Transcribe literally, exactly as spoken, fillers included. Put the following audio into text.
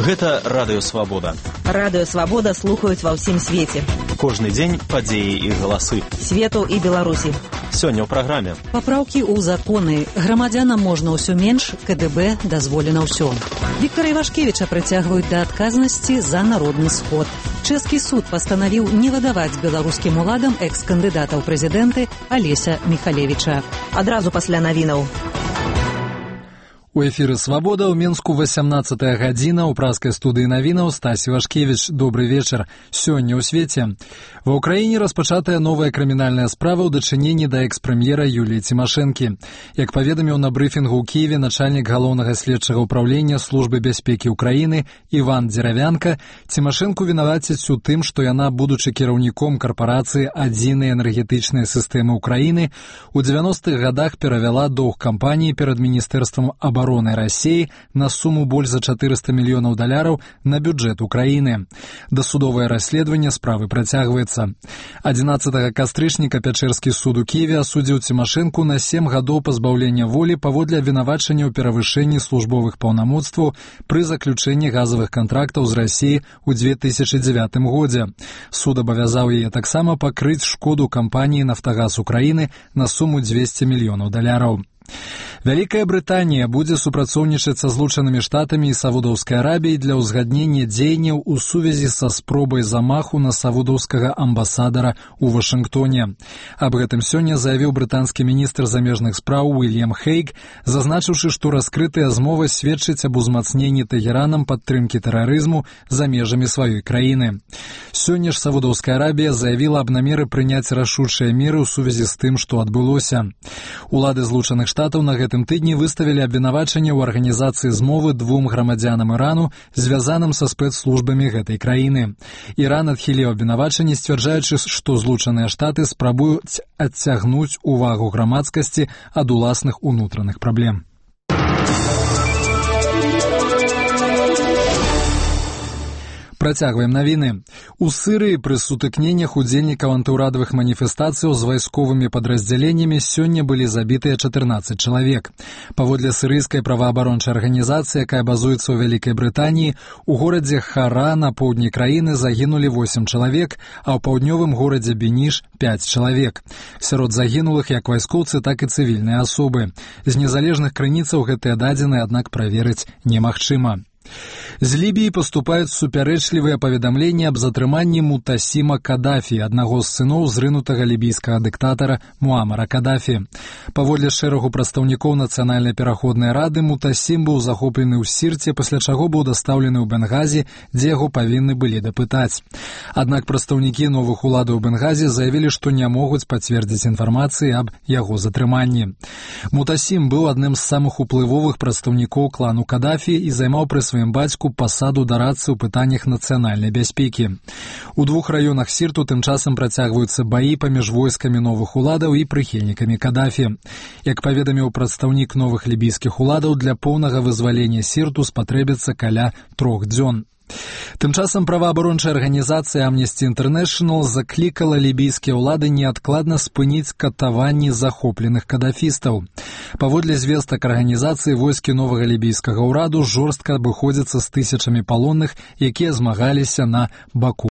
Гэта Радыё Свабода. Радыё Свабода слухаюць ва ўсім свеце. Кожны дзень падзеі і галасы. Свету і Беларусі. Сёння ў праграме. Папраўкі ў законы. Грамадзянам можна ўсё менш, КДБ дазволена ўсё. Віктара Івашкевіча прыцягваюць да адказнасці за народны сход. Чэшскі суд пастанавіў не выдаваць беларускім уладам экс-кандыдата ў прэзідэнты Алеся Міхалевіча. Адразу пасля навінаў. У эфіры «Свабода» ў Менску васямнаццатая гадзіна. У праскай студыі навінаў Стась Івашкевіч. Добры вечар. Сёння ў свеце. Ва ўкраіне распачатая новая крымінальная справа ў дачыненні да экс-прэм'ера Юліі Цімашэнкі. Як паведаміў на брыфінгу ў Кіеве начальнік галоўнага следчага ўпраўлення службы бяспекі ўкраіны Іван Дзеравянка, Цімашэнку вінавацяць у тым, што яна, будучы кіраўніком карпорацыі адзінай энергетычнай сістэмы ўкраіны, у дзевяностых гадах перавяла доўг кампаніі перад міністэрствам абароны России на сумму больш за чатырыста мільёнаў даляраў на бюджэт Украіны. Дасудовае расследаванне справы працягваецца. адзінаццатага кастрычніка Пячэрскі суд у Кіеве асудзіў Цімашэнку на сем гадоў пазбаўлення волі паводле абвінавачання ў перавышэнні службовых паўнамоцтваў пры заключэнні газавых кантрактаў з Расіі ў дзве тысячы дзевятым годзе. Суд абавязаў яе таксама пакрыць шкоду кампаніі «Нафтагаз Украіны» на сумму дзвесце мільёнаў даляраў. Вялікая Брытанія будзе супрацоўнічаць са Злучанымі Штатамі і Саудаўскай Арабіяй для ўзгаднення дзеянняў у сувязі са спробай замаху на саудаўскага амбасадара ў Вашынгтоне. Аб гэтым сёння заявіў брытанскі міністр замежных спраў Уільям Хейг, зазначыўшы, што раскрытая змова сведчыць аб узмацненні Тэгеранам падтрымкі тэрарызму за межамі сваёй краіны. Сёння ж Саудаўская Арабія заявіла аб намеры прыняць рашучыя меры ў сувязі з тым, што адбылося. Улады Злучаных Штатаў на гэтым тыдні выставілі абвінавачанне ў арганізацыі змовы двум грамадзянам Ірану, звязаным са спецслужбамі гэтай краіны. Іран адхіліў абвінавачанне, сцвярджаючы, што Злучаныя Штаты спрабуюць адцягнуць увагу грамадскасці ад уласных унутраных праблем. Працягваем навіны. У Сырыі пры сутыкненнях удзельнікаў антыўрадавых маніфестацыяў з вайсковымі падраздзяленнямі сёння былі забітыя чатырнаццаць чалавек. Паводле сырыйскай праваабарончай арганізацыі, якая базуецца ў Вялікай Брытаніі, у горадзе Хара на поўдні краіны загінулі восем чалавек, а ў паўднёвым горадзе Беніш пяць чалавек. Сярод загінулых як вайскоўцы, так і цывільныя асобы. З незалежных крыніцаў гэтыя дадзеныя, аднак, праверыць немагчыма. З Лібіі паступаюць супярэчлівыя паведамленні аб затрыманні Мутасіма Кадафі, аднаго з сыноў зрынутага лібійскага дыктатара Муамара Кадафі. Паводле шэрагу прадстаўнікоў Нацыянальнай пераходнай рады, Мутасім быў захоплены ў Сірце, пасля чаго быў дастаўлены ў Бенгазі, дзе яго павінны былі дапытаць. Аднак прадстаўнікі новых уладаў Бенгазі заявілі, што не могуць пацвердзіць інфармацыі аб яго затрыманні. Мутасім быў адным з самых уплывовых прадстаўнікоў клану Кадафі і займаў пры сваім бацьку пасаду дарадцы ў пытаннях нацыянальнай бяспекі. У двух раёнах Сірту тым часам працягваюцца баі паміж войскамі новых уладаў і прыхільнікамі Кадафі. Як паведаміў прадстаўнік новых лібійскіх уладаў, для поўнага вызвалення Сірту спатрэбіцца каля трох дзён. Тым часам праваабарончая арганізацыя Amnesty International заклікала лібійскія ўлады неадкладна спыніць катаванні захопленых кадафістаў. Паводле звестак арганізацыі, войскі новага лібійскага ўраду жорстка абыходзяцца з тысячамі палонных, якія змагаліся на баку